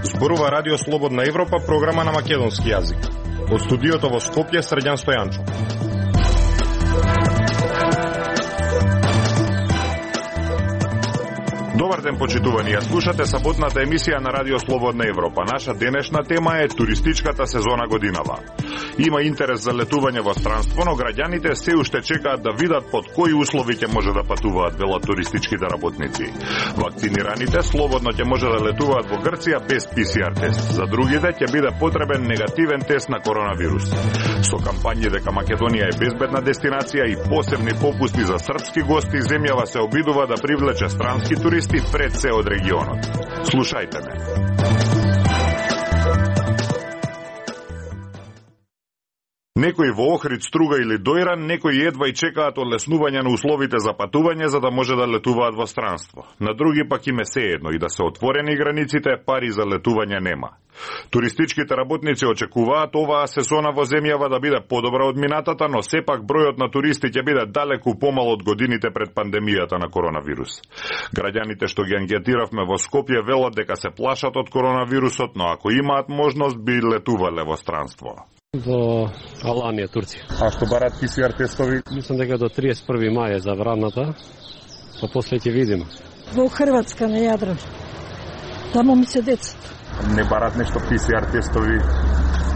Зборува Радио Слободна Европа, програма на македонски јазик. Од студиото во Скопје, Срđan Стојанчо. Добар ден, почитувани. Ја слушате саботната емисија на Радио Слободна Европа. Наша денешна тема е туристичката сезона годинава. Има интерес за летување во странство, но граѓаните се уште чекаат да видат под кои услови ќе може да патуваат, велат туристичките работници. Вакцинираните слободно ќе може да летуваат во Грција без ПСР тест. За другите ќе биде потребен негативен тест на коронавирус. Со кампањи дека Македонија е безбедна дестинација и посебни попусти за српски гости, земјава се обидува да привлече странски туристи пред се од регионот. Слушајте ме. Некои во Охрид, Струга или Дојран, некои едва и чекаат олеснување на условите за патување за да може да летуваат во странство. На други пак им е сеедно и да се отворени границите, пари за летување нема. Туристичките работници очекуваат оваа сезона во земјава да биде подобра од минатата, но сепак бројот на туристи ќе биде далеку помал од годините пред пандемијата на коронавирус. Граѓаните што ги анкетиравме во Скопје велат дека се плашат од коронавирусот, но ако имаат можност би летувале во странство. До Аланија, Турција. А што барат ПСР тестови? Мислам дека до 31. мај е забраната, па после ќе видиме. Во Хрватска на Јадран. Таму ми се децата. Не барат нешто ПСР тестови?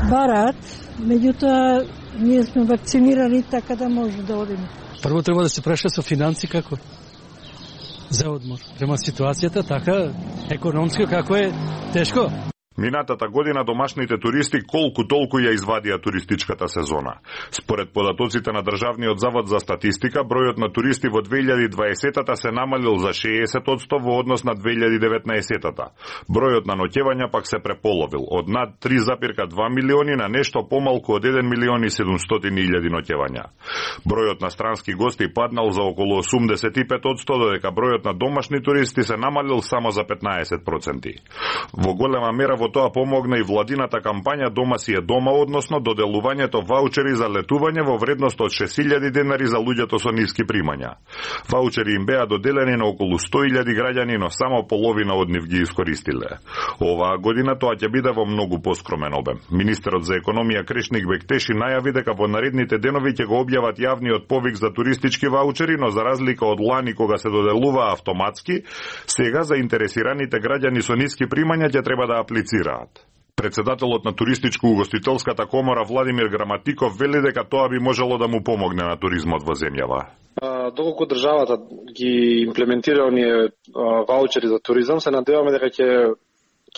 Барат, меѓутоа ние сме вакцинирани така да може да одиме. Прво треба да се преша со финанси како за одмор. Према ситуацијата така економска како е тешко. Минатата година домашните туристи колку толку ја извадија туристичката сезона. Според податоците на Државниот завод за статистика, бројот на туристи во 2020-та се намалил за 60% во однос на 2019-та. Бројот на ноќевања пак се преполовил, од над 3,2 милиони на нешто помалку од 1 милион и 700.000 ноќевања. Бројот на странски гости паднал за околу 85%, додека бројот на домашни туристи се намалил само за 15%. Во голема мера во тоа помогна и владината кампања Дома си е дома, односно доделувањето ваучери за летување во вредност од 6.000 денари за луѓето со ниски примања. Ваучери им беа доделени на околу 100.000 граѓани, но само половина од нив ги искористиле. Оваа година тоа ќе биде во многу поскромен обем. Министерот за економија Крешник Бектеши најави дека во наредните денови ќе го објават јавниот повик за туристички ваучери, но за разлика од лани кога се доделува автоматски, сега заинтересираните граѓани со ниски примања ќе треба да аплицираат. Председателот на туристичко-угостителската комора Владимир Граматиков вели дека тоа би можело да му помогне на туризмот во земјава. Доколку државата ги имплементира оние ваучери за туризам, се надеваме дека ќе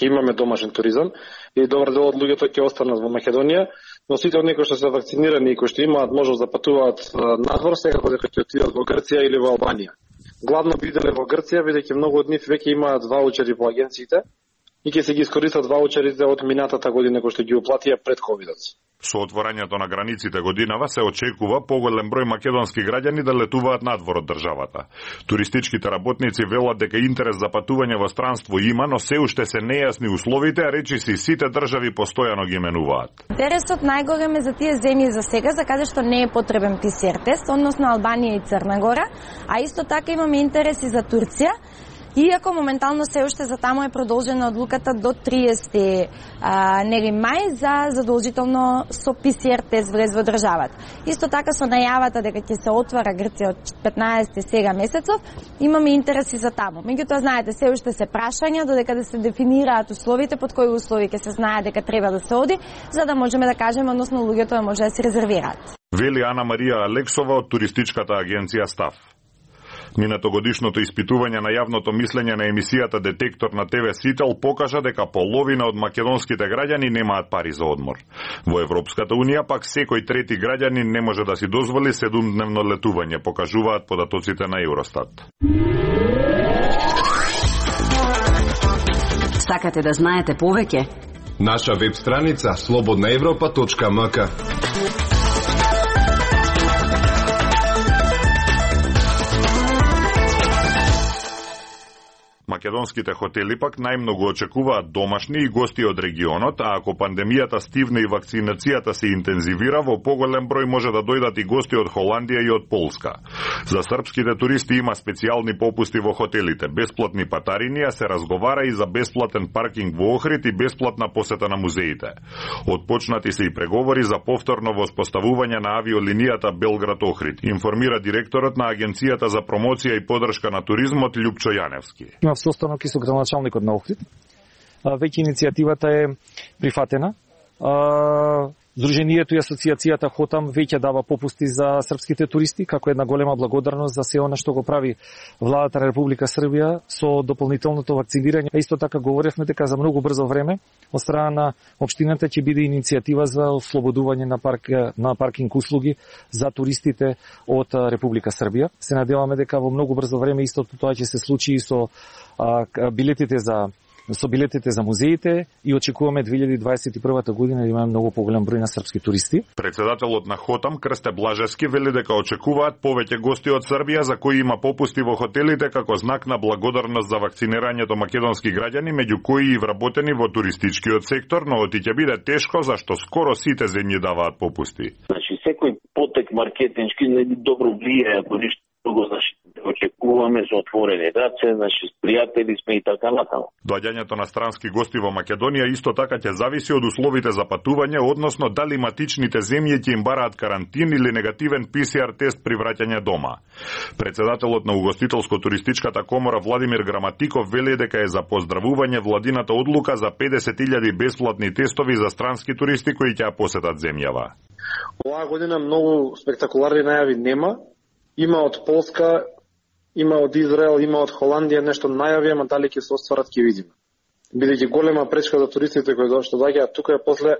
имаме домашен туризам и добар дел од луѓето ќе останат во Македонија, но сите оние кои што се вакцинирани и кои што имаат можност да патуваат надвор, секако дека ќе отидат во Грција или во Албанија. Главно биделе во Грција, бидејќи многу од нив веќе имаат ваучери по агенциите и ќе се ги искористат ваучерите од минатата година кои што ги уплатија пред ковидот. Со отворањето на границите годинава се очекува поголем број македонски граѓани да летуваат надвор од државата. Туристичките работници велат дека интерес за патување во странство има, но се уште се нејасни условите, а речиси сите држави постојано ги менуваат. Интересот најголем е за тие земји за сега, за каде што не е потребен ПСР тест, односно Албанија и Црна Гора, а исто така имаме интереси за Турција. Иако моментално се уште за таму е продолжена одлуката до 30 мај за задолжително со ПСР тест влез во државата. Исто така со најавата дека ќе се отвара Грција од 15 сега месецов, имаме интереси за таму. Меѓутоа знаете, се уште се прашања додека да се дефинираат условите, под кои услови ќе се знае дека треба да се оди, за да можеме да кажеме, односно луѓето да може да се резервираат. Вели Ана Марија Алексова од туристичката агенција Став. Минатогодишното испитување на јавното мислење на емисијата Детектор на ТВ Сител покажа дека половина од македонските граѓани немаат пари за одмор. Во Европската Унија пак секој трети граѓанин не може да си дозволи 7-дневно летување, покажуваат податоците на Евростат. Сакате да знаете повеќе? Наша веб страница slobodnaevropa.mk. Македонските хотели пак најмногу очекуваат домашни и гости од регионот, а ако пандемијата стивне и вакцинацијата се интензивира, во поголем број може да дојдат и гости од Холандија и од Полска. За српските туристи има специјални попусти во хотелите, бесплатни патарини, а се разговара и за бесплатен паркинг во Охрид и бесплатна посета на музеите. Отпочнати се и преговори за повторно воспоставување на авиолинијата Белград-Охрид, информира директорот на Агенцијата за промоција и поддршка на туризмот Љупчо Јаневски. Имав состанок и со градоначалникот на Охрид. Веќе иницијативата е прифатена. Здруженијето и асоциацијата Хотам веќе дава попусти за српските туристи, како една голема благодарност за се она што го прави владата на Република Србија со дополнителното вакцинирање. Исто така говоревме дека за многу брзо време од страна на општината ќе биде иницијатива за ослободување на паркинг услуги за туристите од Република Србија. Се надеваме дека во многу брзо време истото тоа ќе се случи и со билетите за музеите и очекуваме 2021 година да имаме многу поголем број на српски туристи. Председателот на Хотам Крсте Блажевски вели дека очекуваат повеќе гости од Србија за кои има попусти во хотелите како знак на благодарност за вакцинирањето македонски граѓани, меѓу кои и вработени во туристичкиот сектор, но оти ќе биде тешко зашто скоро сите земји даваат попусти. Значи секој потек маркетиншки не добро влијае ако ништо друго, значи очекуваме со отворени раце, значи пријатели сме и така натаму. Доаѓањето на странски гости во Македонија исто така ќе зависи од условите за патување, односно дали матичните земји ќе им бараат карантин или негативен ПСР тест при враќање дома. Председателот на Угостителско-туристичката комора Владимир Граматиков вели дека е за поздравување владината одлука за 50.000 бесплатни тестови за странски туристи кои ќе ја посетат земјава. Оваа година многу спектакуларни најави нема. Има од Полска, има од Израел, има од Холандија нешто најави, ама дали ќе се остварат ќе видиме. Бидејќи голема пречка за туристите кои што доаѓаат тука е после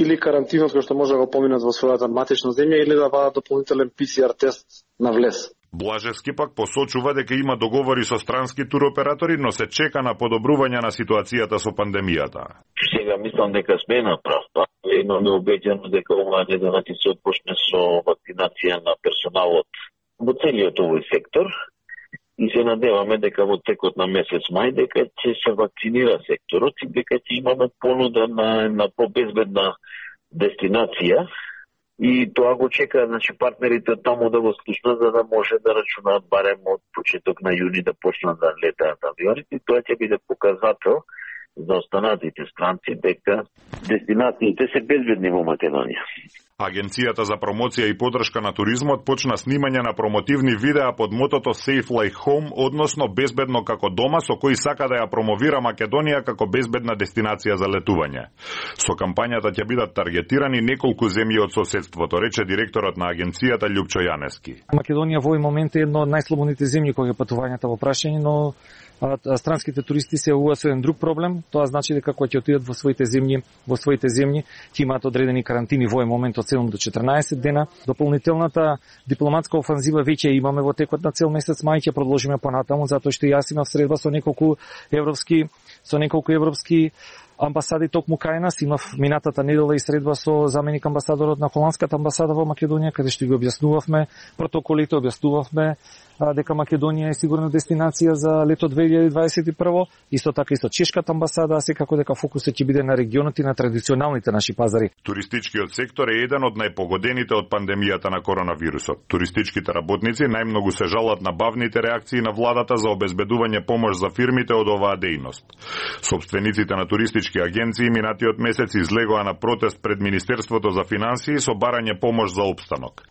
или карантинот кој што може да го поминат во својата матична земја или да вадат дополнителен ПСР тест на влез. Блажевски пак посочува дека има договори со странски туроператори, но се чека на подобрување на ситуацијата со пандемијата. Сега мислам дека сме на прав пат. Имаме обеќано дека оваа недела ќе се отпочне со вакцинација на персоналот во целиот овој сектор и се надеваме дека во текот на месец мај дека ќе се вакцинира секторот и дека ќе имаме понуда на побезбедна дестинација. И тоа го чека, значи, партнерите таму да го слушнат, за да може да рачунаат барем од почеток на јуни да почнат да летаат авионите. И тоа ќе биде показател за останатите странци дека дестинациите се безбедни во Македонија. Агенцијата за промоција и поддршка на туризмот почна снимање на промотивни видеа под мотото Safe Like Home, односно безбедно како дома, со кои сака да ја промовира Македонија како безбедна дестинација за летување. Со кампањата ќе бидат таргетирани неколку земји од соседството, рече директорот на агенцијата Љупчо Јаневски. Македонија во овој момент е едно од најслободните земји кога е патувањата во прашање, но странските туристи се уваа со еден друг проблем. Тоа значи дека кога ќе отидат во своите земји, ќе имаат одредени карантини во овој момент од 7 до 14 дена. Дополнителната дипломатска офанзива веќе имаме во текот на цел месец мај, ќе продолжиме понатаму, затоа што јас имав средба со неколку европски амбасади токму кај нас. Имав минатата недела и средба со заменик амбасадорот на холандската амбасада во Македонија, каде што ги објаснувавме протоколите, објаснувавме дека Македонија е сигурна дестинација за лето 2021. Исто така и со чешката амбасада, а секако дека фокусот ќе биде на регионот и на традиционалните наши пазари. Туристичкиот сектор е еден од најпогодените од пандемијата на коронавирусот. Туристичките работници најмногу се жалат на бавните реакции на владата за обезбедување помош за фирмите од оваа дејност. Собствениците на туристички агенции минатиот месец излегоа на протест пред Министерството за финансии со барање помош за опстанок.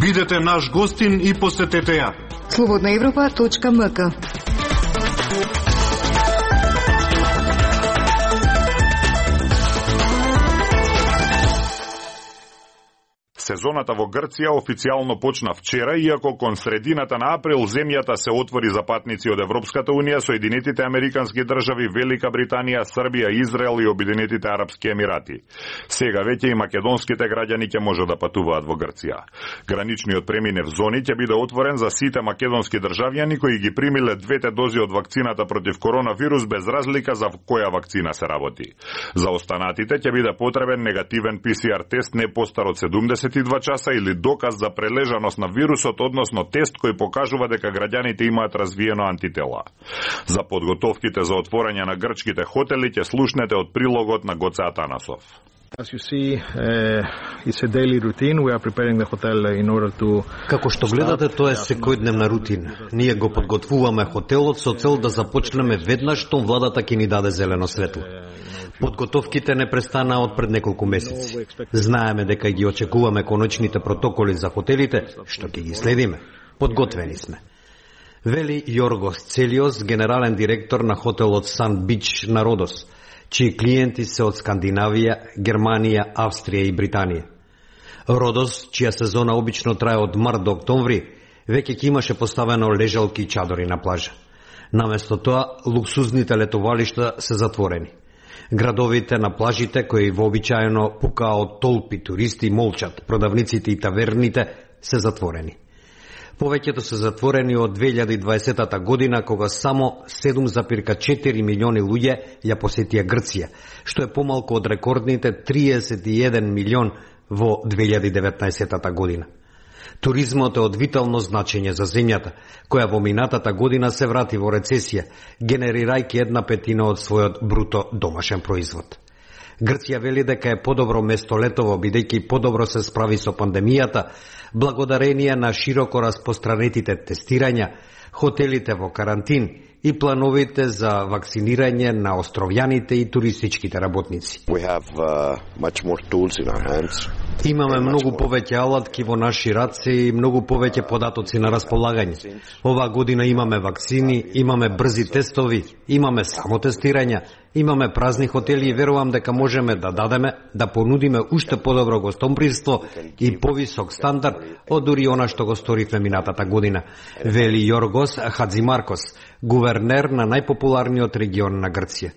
Бидете наш гостин и посетете ја. slobodnaevropa.mk. Сезоната во Грција официјално почна вчера, иако кон средината на април земјата се отвори за патници од Европската унија, Соединетите американски држави, Велика Британија, Србија, Израел и Обединетите арапски емирати. Сега веќе и македонските граѓани ќе може да патуваат во Грција. Граничниот преминев зони ќе биде отворен за сите македонски државјани кои ги примиле двете дози од вакцината против коронавирус без разлика за која вакцина се работи. За останатите ќе биде потребен негативен ПСР тест не постар од 72 42 часа или доказ за прележаност на вирусот, односно тест кој покажува дека граѓаните имаат развиено антитела. За подготовките за отворање на грчките хотели ќе слушнете од прилогот на Гоце Атанасов. As you see, it's a daily routine. We are preparing the hotel in order to... Како што гледате, тоа е секојдневна рутина. Ние го подготвуваме хотелот со цел да започнеме веднаш штом владата ќе ни даде зелено светло. Подготовките не престанаа од пред неколку месеци. Знаеме дека ги очекуваме конечните протоколи за хотелите, што ќе ги следиме. Подготвени сме. Вели Јоргос Целиос, генерален директор на хотелот Сан Бич на Родос, чии клиенти се од Скандинавија, Германија, Австрија и Британија. Родос, чија сезона обично трае од март до октомври, веќе ќе имаше поставено лежалки и чадори на плажа. Наместо тоа, луксузните летовалишта се затворени. Градовите на плажите, кои вообичаено пукаа од толпи туристи, молчат, продавниците и таверните се затворени. Повеќето се затворени од 2020 година, кога само 7,4 милиони луѓе ја посетија Грција, што е помалку од рекордните 31 милион во 2019 година. Туризмот е од витално значење за земјата, која во минатата година се врати во рецесија, генерирајќи 1/5 од својот бруто домашен производ. Грција вели дека е подобро место летово, бидејќи подобро се справи со пандемијата, благодарение на широко распостранетите тестирања, хотелите во карантин и плановите за вакцинирање на островјаните и туристичките работници. Имаме многу повеќе алатки во наши раце и многу повеќе податоци на располагање. Оваа година имаме вакцини, имаме брзи тестови, имаме самотестирања, имаме празни хотели и верувам дека можеме да дадеме, да понудиме уште подобро гостопримство и повисок стандард од дури она што го сторивме минатата година, вели Јоргос Хадзимаркос, гувернер на најпопуларниот регион на Грција.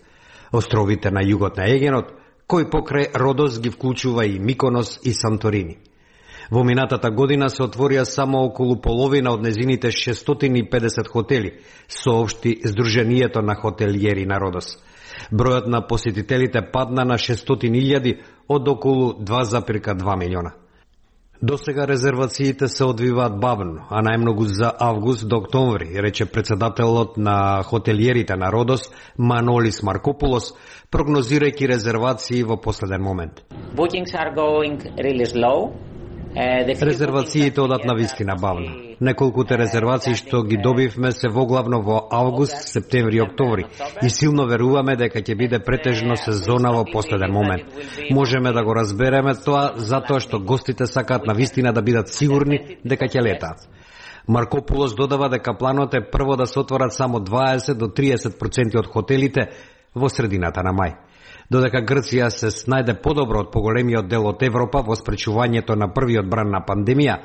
Островите на југот на Егенот, кој покрај Родос ги вклучува и Миконос и Санторини. Во минатата година се отворија само околу половина од незините 650 хотели, соопшти Сдруженијето на хотелиери на Родос. Бројот на посетителите падна на 600.000 од околу 2,2 милиона. До сега резервациите се одвиваат бавно, а најмногу за август до октомври, рече председателот на хотелиерите на Родос, Манолис Маркопулос, прогнозирајќи резервации во последен момент. Резервациите одат на вистина бавно. Неколкуте резервации што ги добивме се воглавно во август, септември и октомври и силно веруваме дека ќе биде претежно сезона во последен момент. Можеме да го разбереме тоа затоа што гостите сакаат на вистина да бидат сигурни дека ќе летаат. Маркопулос додава дека планот е прво да се отворат само 20 до 30% од хотелите во средината на мај. Додека Грција се снајде подобро од поголемиот дел од Европа во спречувањето на првиот бран на пандемија,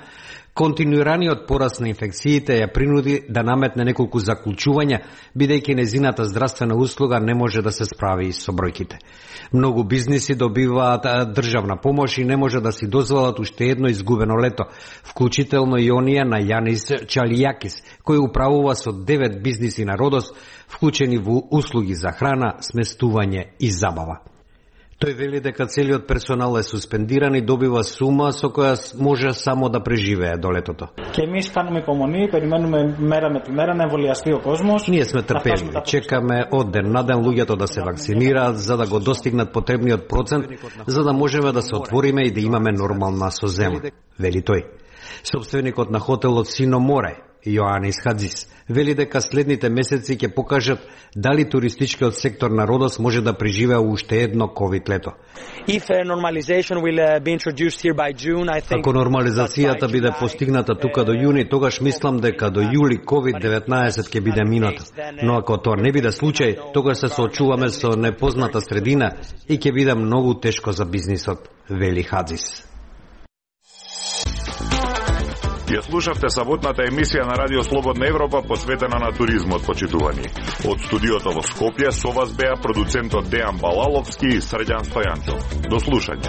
континуираниот пораст на инфекциите ја принуди да наметне неколку заклучувања, бидејќи незината здравствена услуга не може да се справи со бројките. Многу бизниси добиваат државна помош и не може да си дозволат уште едно изгубено лето, вклучително и оние на Јанис Чалијакис, кој управува со 9 бизниси на Родос, вклучени во услуги за храна, сместување и забава. Тој вели дека целиот персонал е суспендиран и добива сума со која може само да преживее до летото. Ние сме трпеливи, чекаме од ден на ден луѓето да се вакцинираат за да го достигнат потребниот процент, за да можеме да се отвориме и да имаме нормална созема, вели тој. Собственикот на хотелот Сино Море, Јоанис Хадзис, вели дека следните месеци ќе покажат дали туристичкиот сектор на Родос може да преживее уште едно ковид лето. Ако нормализацијата биде постигната тука до јуни, тогаш мислам дека до јули COVID-19 ќе биде минато. Но ако тоа не биде случај, тогаш се соочуваме со непозната средина и ќе биде многу тешко за бизнисот, вели Хадзис. Ја слушавте саботната емисија на Радио Слободна Европа посветена на туризмот, почитувани. Од студиото во Скопје со вас беа продуцентот Дејан Балаловски и Срđan Стојанчов. До слушање.